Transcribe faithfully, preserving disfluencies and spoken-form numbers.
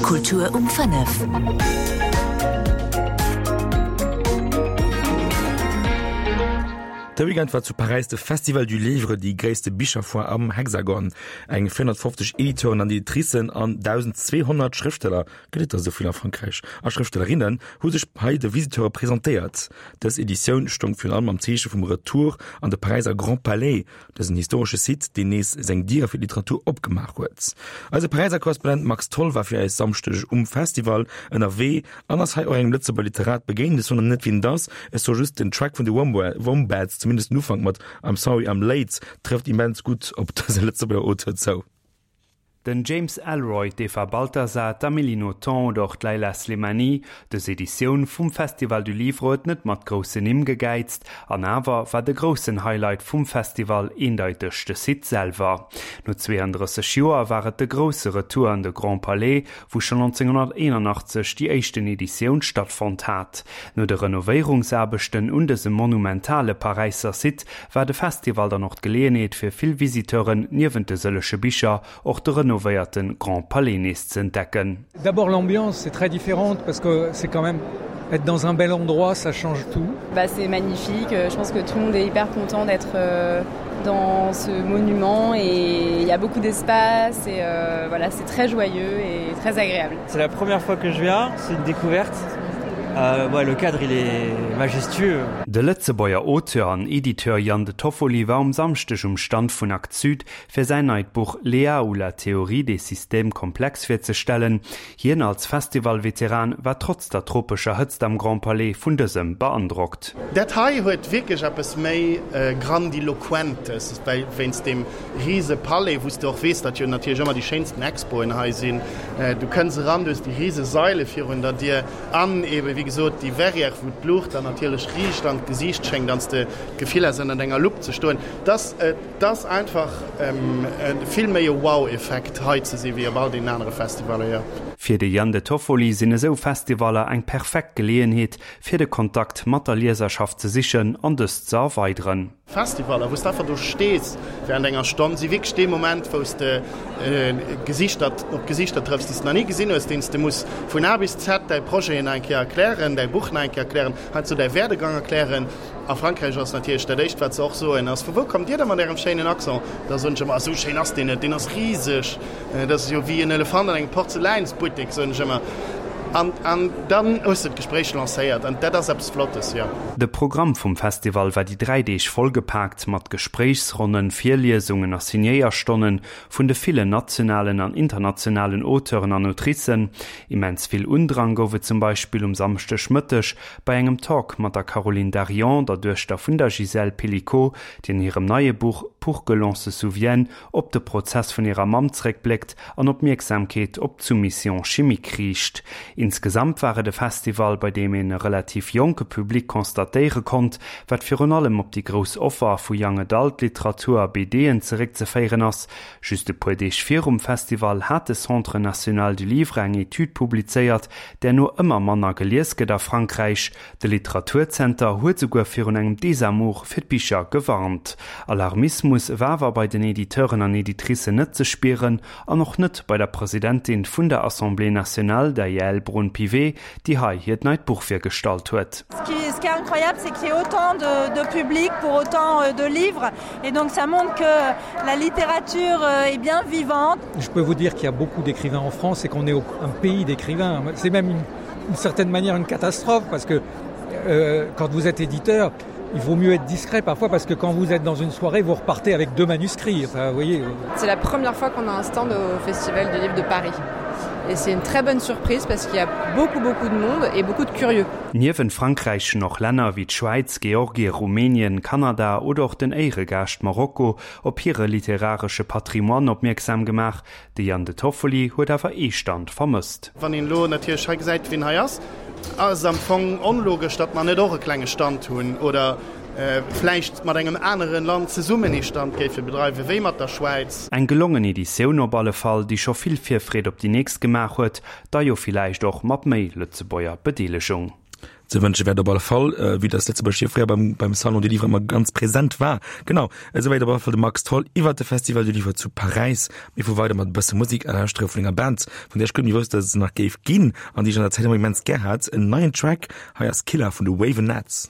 Kultur um fënnef. De Weekend war zu Paräis de Festival du Livre, déi gréisste Bicherfoire am Hexagon. Eng véierhonnertfofzeg Editeuren an Editricen an dausendzweehonnert Schrëftsteller, gëtt et der esou vill a Frankräich? A Schrëftstellerinnen hu sech hei de Visiteure presentéiert. Dës Editioun stoung virun allem am Zeeche vum Retour an de Paräiser Grand Palais, dësen historesche Site, deen nees seng Diere fir d'Literatur opgemaach huet. Eise Paräiser Korrespondent Max Tholl war fir eis Samschdeg um Festival ënnerwee an ass hei och engem Lëtzebuerger Literat begéint. Ech soen net, wien et ass, ech soe just, den Track vun de Wombats, zumindest den Ufank mat I'm sorry I'm late, trëfft immens gutt op dëse Lëtzebuerger Auteur zou. Den James Ellroy, d'Eva Balthasar, d'Amélie Nothomb oder och d'Leila Slimani, dës Editioun vum Festival du Livre huet net mat groussen Nimm gegäizt, an awer war de groussen Highlight vum Festival eendeiteg de Site selwer. No zweeëndrësseg Joer war et de grousse Retour an de Grand Palais, wou schonn nonzénghonnerteenanachtzeg déi éischten Editioun stattfonnt hat. No de Renovéierungsaarbechten un dësem monumentale Paräisser Site war de Festival dann och d'Geleeënheet fir vill Visiteuren niewent de sëllege Bicher och de renovéierte Grand Palais nees ze entdecken. D'abord l'ambiance c'est très différente parce que c'est quand même être dans un bel endroit ça change tout. Bah c'est magnifique, je pense que tout le monde est hyper content d'être dans ce monument et il y a beaucoup d'espace et voilà c'est très joyeux et très agréable. C'est la première fois que je viens, c'est une découverte. Euh, ouais, le cadre il est majestueux. De Lëtzebuerger Auteur an Editeur Yann De Toffoli war um Samschdeg um Stand vun Actes Sud fir säin neit Buch Léa ou la théorie des systèmes complexes virzestellen. Hien als Festival-Veteran war trotz der tropescher Hëtzt am Grand Palais vun dësem beandrockt. Dat hei huet wierklech eppes méi Grandiloquentes, well wéinst deem rise Palais, wou s de och weess, datt jo natierlech ëmmer déi schéinsten Expoen hei sinn. Du kënns eran, du hues déi rise Saile virun der Dier an eebe wéi gesot déi Verrière, wou d'Luucht dann natierlech riicht an d'Gesiicht schéngt an s de d'Gefill has, ënnert enger Lupp ze stoen. Dass, et ass einfach vill méi e Wow-Effekt hei ze si wéi op all deenen anere Festivaller, jo. Fir de Yann De Toffoli sinn esou Festivaller eng perfekt Geleeënheet, fir de Kontakt mat der Lieserschaft ze sichen an dës ze erweideren. Festivaller, wou s de einfach do stees während enger Stonn, si wierklech dee Moment, wou s de Gesichter op Gesichter trëffs, déi s de nach ni gesinn hues, deenen s de muss vun A bis Z däi Projet nach eng Kéier erklären, däi Buch nach eng Kéier erklären, heiansdo däi Werdegang erklären. A Frankräich ass natierlech dat Éischt, wat se och soen, ass, Vu wou kommt Dir da mat Ärem schéinen Accent? Da soen ech ëmmer, Esou schéin ass deen net, deen ass riseg, dat ass jo wéi en Elefant an engem Porzeläinsbuttek, soen ech ëmmer. An, an dann hues de d'Gespréich lancéiert an dat ass eppes Flottes, jo. De Programm vum Festival war déi dräi Deeg vollgepaakt mat Gespréichsronnen, Virliesungen a Signéierstonnen vun de villen nationalen an internationalen Auteuren an Autricen. Immens vill Undrang gouf et zum Beispill um Samschdegmëtteg bei engem Talk mat der Caroline Darion, der Duechter vun der Gisèle Pelicot, déi an hirem neie Buch Pour que l'on se souvienne op de Prozess vun hirer Mamm zeréckbléckt an Opmierksamkeet op d'Soumission chimique riicht. Insgesamt war et e Festival, bei deem een e relativ jonke Public constatéiere konnt, wat virun allem op déi grouss Offer vu Young Adult Literatur a BDen zeréckzeféieren ass. Just e puer Deeg virum Festival hat de Centre national du livre eng Etüd publizéiert, där no ëmmer manner gelies gëtt a Frankräich. De Literaturzenter huet souguer virun engem Desamour fir d'Bicher gewarnt. Alarmismus war awer bei den Editeuren an Editricen net ze spieren an och net bei der Presidentin vun der Assemblée nationale, der Yaël Braun-Pivet, déi hei hiert neit Buch virgestallt huet. Ce qui est incroyable, c'est qu'il y ait autant de, de public pour autant euh, de livres et donc ça montre que la littérature euh, est bien vivante. Je peux vous dire qu'il y a beaucoup d'écrivains en France et qu'on est un pays d'écrivains. C'est même une, une certaine manière une catastrophe parce que euh, quand vous êtes éditeur, il vaut mieux être discret parfois parce que quand vous êtes dans une soirée, vous repartez avec deux manuscrits. Enfin, vous voyez. Euh. C'est la première fois qu'on a un stand au Festival du Livre de Paris. Et c'est une très bonne surprise parce qu'il y a beaucoup beaucoup de monde et beaucoup de curieux. Niewent Frankräich hunn och Länner wéi d'Schwäiz, Georgie, Rumänien, Kanada oder och den Éieregaascht Marokko op hire literaresche Patrimoine opmierksam gemaach. De Yann De Toffoli huet awer ee Stand vermësst. Wann een elo natierlech hei gesäit, wien hei ass, ass et am Fong onlogesch, datt mer net och e klenge Stand hunn oder vläicht mat engem anere Land zesummen ee Stand géife bedreiwen, wéi mat der Schwäiz. Eng gelongen Editioun op alle Fall, déi scho vill Virfreed op déi nächst gemaach huet, da jo villäicht och mat méi Lëtzebuerger Bedeelegung. Ze wënsche wär et op alle Fall, vue dass Lëtzebuerg jo fréier beim, beim Salon du Livre ëmmer ganz present war. Genau, esouwäit op alle Fall de Max Tholl iwwert de Festival du Livre zu Paräis. Mir fuere weider mat e bësse Musek a lauschtere vun enger Band, vun där ech guer net méi wousst, dass et se nach géif ginn an déi ech an der Zäit ëmmer immens gär hat. En neien Track, hei ass Killer vun de Wavenettes.